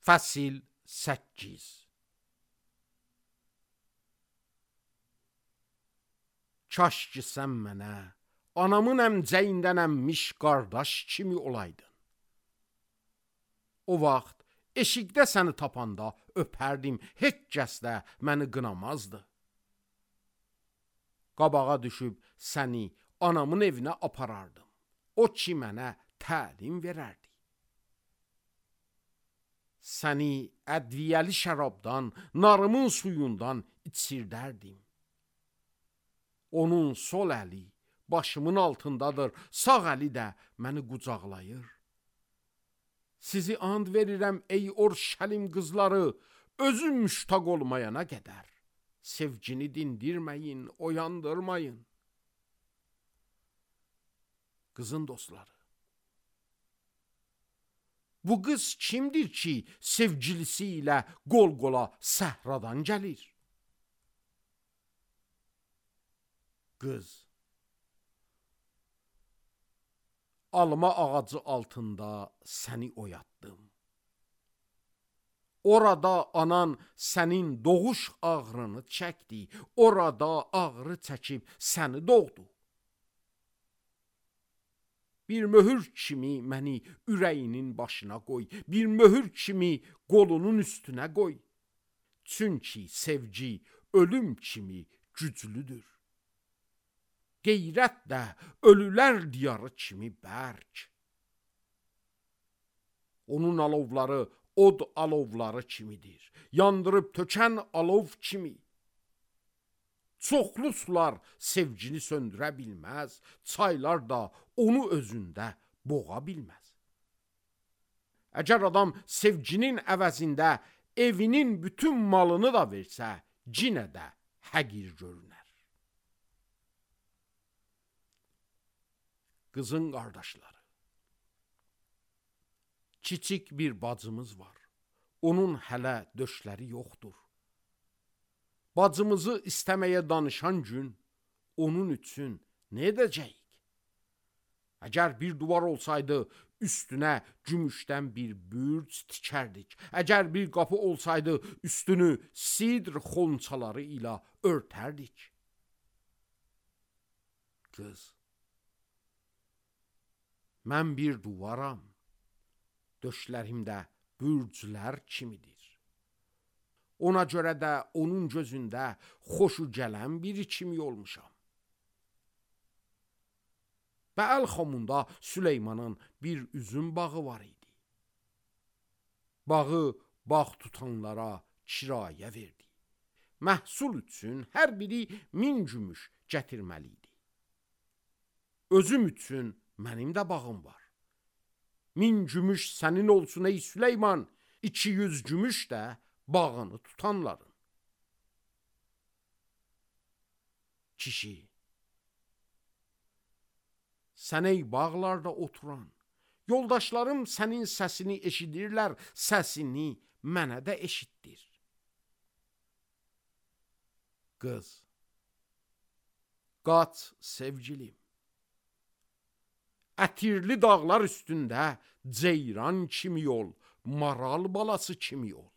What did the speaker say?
Fəsil 8. Kaş ki sən mənə anamın əmcəyindən əmmiş qardaş kimi olaydın. O vaxt eşikdə səni tapanda öpərdim, heç kəs də məni qınamazdı. Qabağa düşüb səni anamın evinə aparardım. O ki mənə təlim verərdi. Səni ədviyəli şərabdan, narımın suyundan içirdərdim. Onun sol əli başımın altındadır, sağ əli də məni qucaqlayır. Sizi and verirəm ey Orşəlim qızları, özüm müştaq olmayana qədər. Sevgini dindirməyin, oyandırmayın. Qızın dostları. Bu qız kimdir ki, sevgilisi ilə qol-qola səhradan gəlir? Qız. Alma ağacı altında səni oyatdım. Orada anan sənin doğuş ağrını çəkdi. Orada ağrı çəkib səni doğdu. Bir möhür kimi məni ürəyinin başına qoy. Bir möhür kimi qolunun üstünə qoy. Çünki sevgi ölüm kimi güclüdür. Qeyrət də ölülər diyarı kimi bərk. Onun alovları od alovları kimidir. Yandırıb tökən alov kimi. Çoxlu sular sevgini söndürə bilməz. Çaylar da onu özündə boğa bilməz. Əgər adam sevginin əvəzində evinin bütün malını da versə, cinə də həqir görünər. Qızın qardaşları. Kiçik bir bacımız var. Onun hələ döşləri yoxdur. Bacımızı istəməyə danışan gün onun üçün nə edəcəyik? Əgər bir duvar olsaydı, üstünə gümüşdən bir bürc tikərdik. Əgər bir qapı olsaydı, üstünü sidr xonçaları ilə örtərdik. Qız. Mən bir duvaram. Döşlərimdə bürclər kimidir. Ona görə də onun gözündə xoşu gələn biri kimi olmuşam. Bəəlxamunda Süleymanın bir üzüm bağı var idi. Bağı bağ tutanlara kirayə verdi. Məhsul üçün hər biri 1000 gümüş gətirməli idi. Özüm üçün mənim də bağım var. 1000 gümüş sənin olsun ey Süleyman, 200 gümüş də bağını tutanların. Kişi. Sən ey bağlarda oturan, yoldaşlarım sənin səsini eşidirlər, səsini mənə də eşitdir. Qız. Qaç sevgilim. Ətirli dağlar üstündə ceyran kimi ol, maral balası kimi ol.